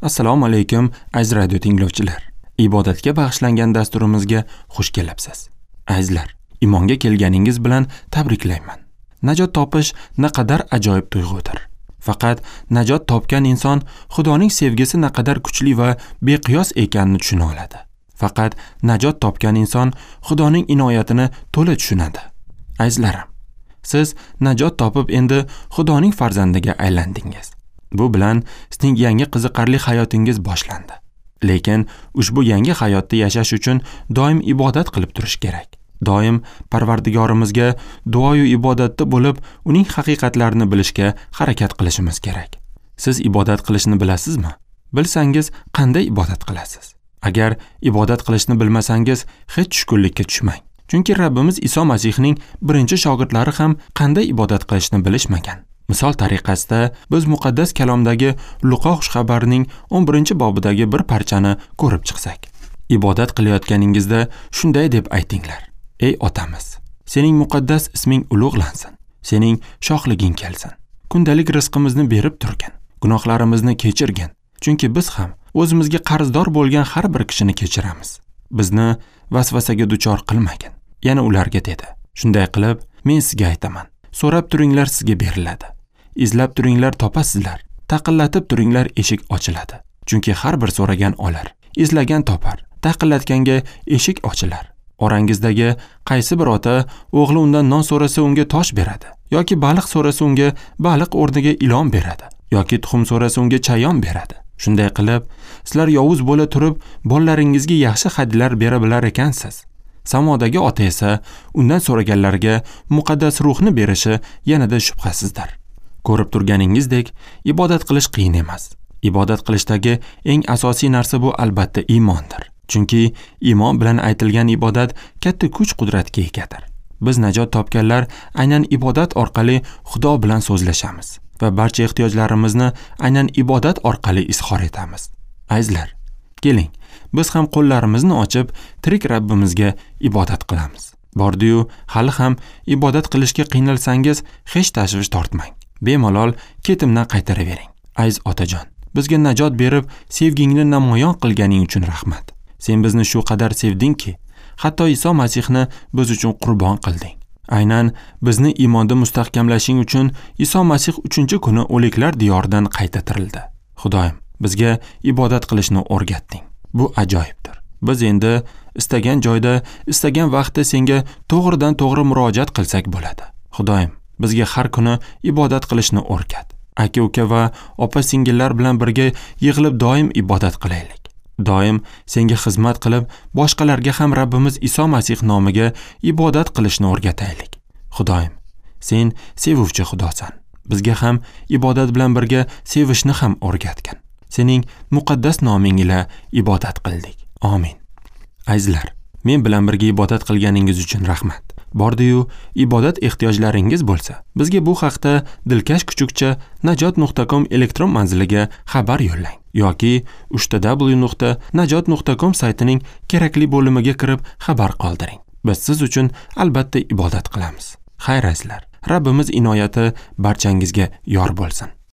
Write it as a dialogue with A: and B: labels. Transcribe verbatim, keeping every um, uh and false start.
A: Assalomu alaykum aziz radio tinglovchilar. Ibodatga bag'ishlangan dasturimizga xush kelibsiz. Azizlar, iymonga kelganingiz bilan tabriklayman. Najot topish naqadar ajoyib tuyg'udir. Faqat najot topgan inson Xudoning sevgisi naqadar kuchli va beqiyos ekanini tushuna oladi. Faqat najot topgan inson Xudoning inoyatini to'la tushunadi. Azizlarim, siz najot topib endi Xudoning farzandiga aylandingiz. Bu bilan sizning yangi qiziqarli hayotingiz boshlandi. Lekin ushbu yangi hayotda yashash uchun doim ibodat qilib turish kerak. Doim Parvardigorimizga duoyu ibodatda bo'lib, uning haqiqatlarini bilishga harakat qilishimiz kerak. Siz ibodat qilishni bilasizmi? Bilsangiz, qanday ibodat qilasiz? Agar ibodat qilishni bilmasangiz, hech tushkunlikka tushmang. Chunki Rabbimiz Iso Masihning birinchi shogirdlari ham qanday ibodat qilishni bilishmagan. Misol tariqasida biz muqaddas kalomdagi Luqo xushxabarining o'n birinchi bobidagi bir parchani ko'rib chiqsak. Ibodat qilayotganingizda shunday deb aytinglar: Ey otamiz, sening muqaddas isming ulug'lansin, sening shohliging kelsin. Kundalik rizqimizni berib turgin, gunohlarimizni kechirgin, chunki biz ham o'zimizga qarzdor bo'lgan har bir kishini kechiramiz. Bizni vasvasaga duchor qilmagin. Yana ularga dedi: Shunday qilib, men sizga aytaman, so'rab turinglar, sizga beriladi. Izlab turinglar, topasizlar. Taqillatib turinglar, eshik ochiladi. Chunki har bir so'ragan olar, izlagan topar, taqillatganga eshik ochilar. Orangizdagi qaysi bir ota o'g'li undan non so'rasa unga tosh beradi, yoki baliq so'rasa unga baliq o'rniga ilon beradi, yoki tuxum so'rasa unga chayon beradi. Shunday qilib, sizlar yovuz bo'la turib bolalaringizga yaxshi hadyalar bera bilar ekansiz. Samodagi ota esa undan so'raganlarga muqaddas ruhni berishi yanada shubhasizdir. Ko'rib turganingizdek, ibodat qilish qiyin emas. Ibodat qilishdagi eng asosiy narsa bu albatta iymondir. Chunki iymon bilan aytilgan ibodat katta kuch-qudratga egadir. Biz najot topganlar aynan ibodat orqali Xudo bilan so'zlashamiz va barcha ehtiyojlarimizni aynan ibodat orqali izhor etamiz. Azizlar, keling, biz ham qo'llarimizni ochib tirik Rabbimizga ibodat qilamiz. Bordi-yu, hali ham ibodat qilishga qiynalsangiz, hech tashvish tortmang. Bemalol ketimdan qaytaravering. Aziz otajon, bizga najot berib, sevgingni namoyon qilganing uchun rahmat. Sen bizni shu qadar sevdingki, hatto Iso Masihni biz uchun qurbon qilding. Aynan bizni iymonda mustahkamlashing uchun Iso Masih uchinchi kuni o'liklar diyoridan qayta tirildi. Xudoyim, bizga ibodat qilishni o'rgatding. Bu ajoyibdir. Biz endi istagan joyda, istagan vaqtda senga to'g'ridan to'g'ri murojaat qilsak bo'ladi. Xudoyim, bizga har kuni ibodat qilishni o'rgat. Aka-uka va opa-singillar bilan birga yig'ilib doim ibodat qilaylik. Doim senga xizmat qilib, boshqalarga ham Rabbimiz Iso Masih nomiga ibodat qilishni o'rgataylik. Xudoyim, sen sevuvchi Xudosan. Bizga ham ibodat bilan birga sevishni ham o'rgatgin. Sening muqaddas noming ila ibodat qildik. Amin. Azizlar, men bilan birga ibodat qilganingiz uchun rahmat. Bordi-yu, ibodat ehtiyojlaringiz bo'lsa, bizga bu haqda dilkash kuchukcha najot nuqta com elektron manziliga xabar yo'llang yoki uch ta w nuqta najot nuqta com saytining kerakli bo'limiga kirib xabar qoldiring. Biz siz uchun albatta ibodat qilamiz. Xayr azizlar, Rabbimiz inoyati barchangizga yor bo'lsin.